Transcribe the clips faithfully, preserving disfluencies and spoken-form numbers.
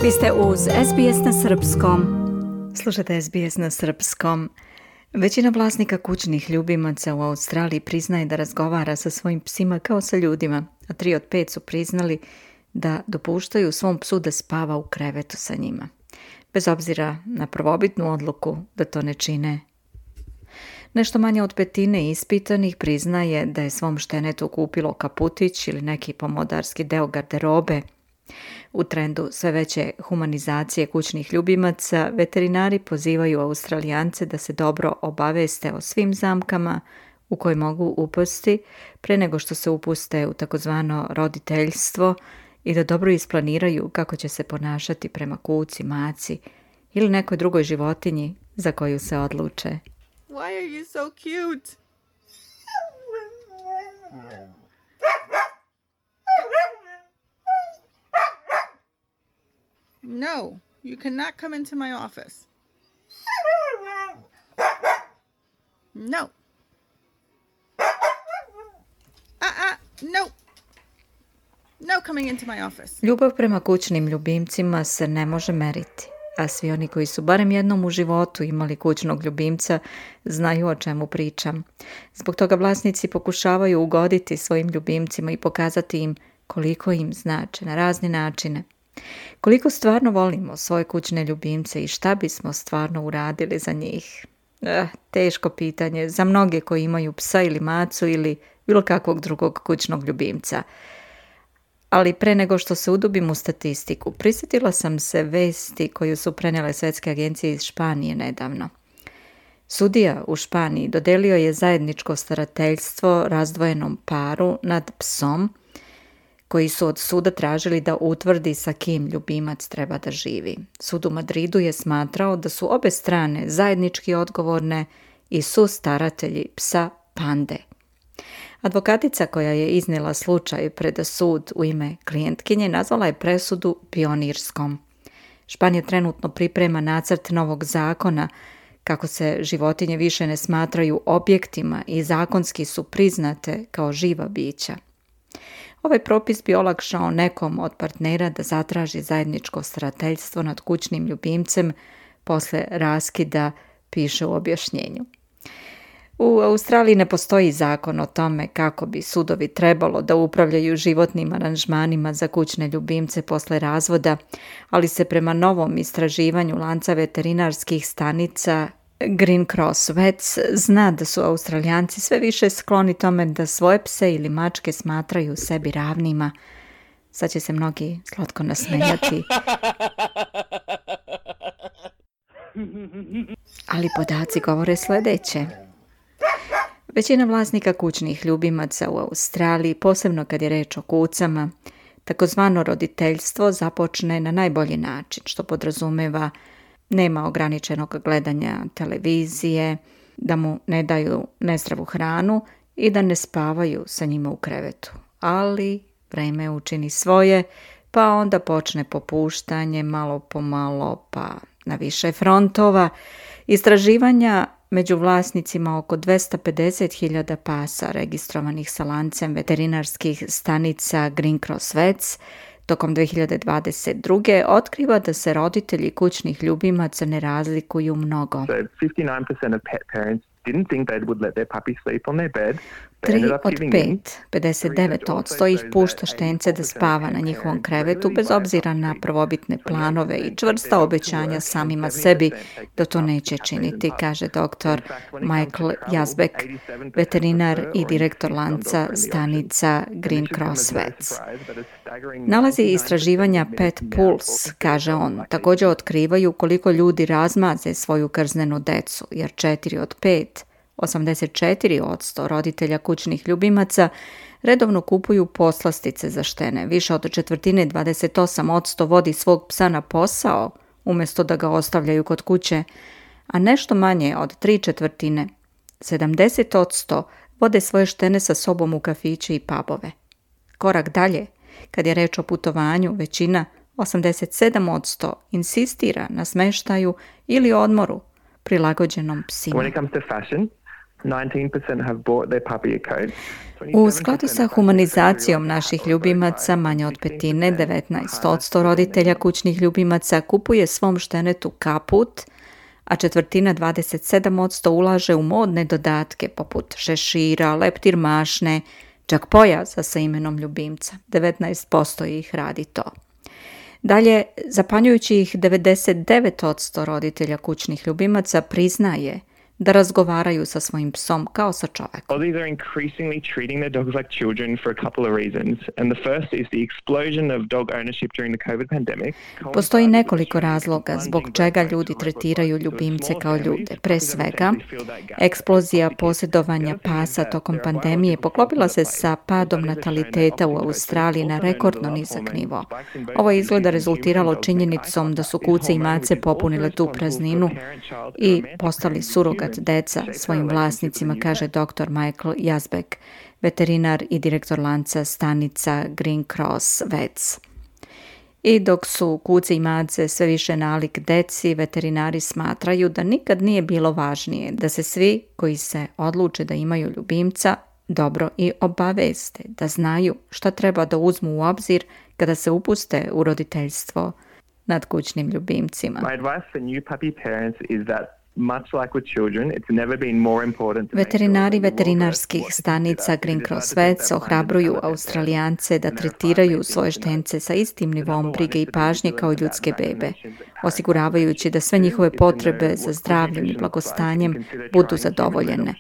Vi ste uz S B S na srpskom. Slušate S B S na srpskom. Većina vlasnika kućnih ljubimaca u Australiji priznaje da razgovara sa svojim psima kao sa ljudima, a tri od pet su priznali da dopuštaju svom psu da spava u krevetu sa njima, bez obzira na prvobitnu odluku da to ne čine. Nešto manje od petine ispitanih priznaje da je svom štenetu kupilo kaputić ili neki pomodarski deo garderobe. U trendu sve veće humanizacije kućnih ljubimaca, veterinari pozivaju Australijance da se dobro obaveste o svim zamkama u koje mogu upasti pre nego što se upuste u takozvano roditeljstvo i da dobro isplaniraju kako će se ponašati prema kuci, maci ili nekoj drugoj životinji za koju se odluče. Why are you so cute? No, you cannot come into my office. No. Uh-uh, no. No coming into my office. Ljubav prema kućnim ljubimcima se ne može meriti, a svi oni koji su barem jednom u životu imali kućnog ljubimca znaju o čemu pričam. Zbog toga vlasnici pokušavaju ugoditi svojim ljubimcima i pokazati im koliko im znače na razne načine. Koliko stvarno volimo svoje kućne ljubimce i šta bismo stvarno uradili za njih? Eh, teško pitanje za mnoge koji imaju psa ili macu ili bilo kakvog drugog kućnog ljubimca. Ali pre nego što se udubim u statistiku, prisjetila sam se vesti koju su prenijele svetske agencije iz Španije nedavno. Sudija u Španiji dodelio je zajedničko starateljstvo razdvojenom paru nad psom, koji su od suda tražili da utvrdi sa kim ljubimac treba da živi. Sud u Madridu je smatrao da su obe strane zajednički odgovorne i su staratelji psa Pande. Advokatica koja je iznijela slučaj pred sud u ime klijentkinje nazvala je presudu pionirskom. Španija trenutno priprema nacrt novog zakona kako se životinje više ne smatraju objektima i zakonski su priznate kao živa bića. Ovaj propis bi olakšao nekom od partnera da zatraži zajedničko starateljstvo nad kućnim ljubimcem posle raskida, piše u objašnjenju. U Australiji ne postoji zakon o tome kako bi sudovi trebalo da upravljaju životnim aranžmanima za kućne ljubimce posle razvoda, ali se prema novom istraživanju lanca veterinarskih stanica Green Cross Vets zna da su Australijanci sve više skloni tome da svoje pse ili mačke smatraju sebi ravnima. Sad će se mnogi slatko nasmejati. Ali podaci govore sljedeće. Većina vlasnika kućnih ljubimaca u Australiji, posebno kad je reč o kucama, takozvano roditeljstvo započne na najbolji način, što podrazumeva nema ograničenog gledanja televizije, da mu ne daju nezdravu hranu i da ne spavaju sa njima u krevetu. Ali vreme učini svoje, pa onda počne popuštanje malo po malo, pa na više frontova. Istraživanja među vlasnicima oko dvesta pedeset hiljada pasa registrovanih sa lancem veterinarskih stanica Green Cross Vets tokom dve hiljade dvadeset druge otkriva da se roditelji kućnih ljubimaca ne razlikuju mnogo. So fifty-nine percent of pet parents didn't think they would let their puppy sleep on their bed. Tri od pet, pedeset devet posto ih pušta štence da spava na njihovom krevetu bez obzira na prvobitne planove i čvrsta obećanja samima sebi da to neće činiti, kaže doktor Michael Yazbek, veterinar i direktor lanca stanica Green Cross Vets. Nalazi istraživanja Pet Pulse, kaže on, također otkrivaju koliko ljudi razmaze svoju krznenu decu, jer četiri od pet, osamdeset četiri posto roditelja kućnih ljubimaca redovno kupuju poslastice za štene. Više od četvrtine, dvadeset osam posto vodi svog psa na posao umjesto da ga ostavljaju kod kuće, a nešto manje od tri četvrtine, sedamdeset posto vode svoje štene sa sobom u kafiće i pubove. Korak dalje, kad je reč o putovanju, većina, osamdeset sedam posto, insistira na smeštaju ili odmoru prilagođenom psima. When it comes to fashion, nineteen percent have bought their puppy a coat. U skladu sa humanizacijom naših ljubimaca, manje od petine, devetnaest posto roditelja kućnih ljubimaca kupuje svom štenetu kaput, a četvrtina, dvadeset sedam posto, ulaže u modne dodatke poput šešira, leptir mašne, čak pojasa sa imenom ljubimca. devetnaest posto ih radi to. Dalje, zapanjujućih devedeset devet posto roditelja kućnih ljubimaca priznaje da razgovaraju sa svojim psom kao sa čovekom. Aussies are increasingly treating their dogs like children for a couple of reasons. And the first is the explosion of dog ownership during the COVID pandemic. Postoji nekoliko razloga zbog čega ljudi tretiraju ljubimce kao ljude. Pre svega, eksplozija posjedovanja pasa tokom pandemije poklopila se sa padom nataliteta u Australiji na rekordno nizak nivo. Ovo je izgleda rezultiralo činjenicom da su kuce i mace popunile tu prazninu i postali surogat deca svojim vlasnicima, kaže doktor Michael Yazbek, veterinar i direktor lanca stanica Green Cross Vets. I dok su kuce i mace sve više nalik deci, veterinari smatraju da nikad nije bilo važnije da se svi koji se odluče da imaju ljubimca dobro i obaveste, da znaju šta treba da uzmu u obzir kada se upuste u roditeljstvo nad kućnim ljubimcima. My advice for new puppy parents is that much like with children, it's never been more important to make sure Veterinari that you will veterinarskih first stanica watch Green the Cross disease Vets that ohrabruju blinded Australijance da tretiraju svoje štence sa istim nivom brige i pažnje kao ljudske bebe, osiguravajući da sve njihove potrebe za zdravljem i blagostanjem budu zadovoljene,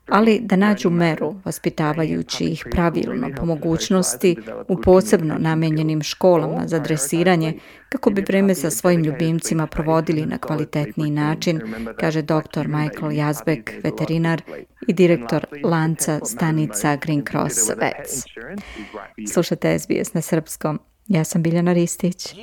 ali da nađu meru vaspitavajući ih pravilno po mogućnosti u posebno namenjenim školama za dresiranje kako bi vreme sa svojim ljubimcima provodili na kvalitetniji način, kaže doktor Michael Yazbek, veterinar i direktor lanca stanica Green Cross Vets. Slušate S B S na srpskom. Ja sam Biljana Ristić.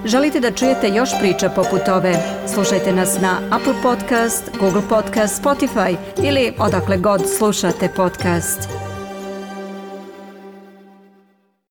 Želite da čujete još priča poput ove? Slušajte nas na Apple Podcast, Google Podcast, Spotify ili odakle god slušate podcast.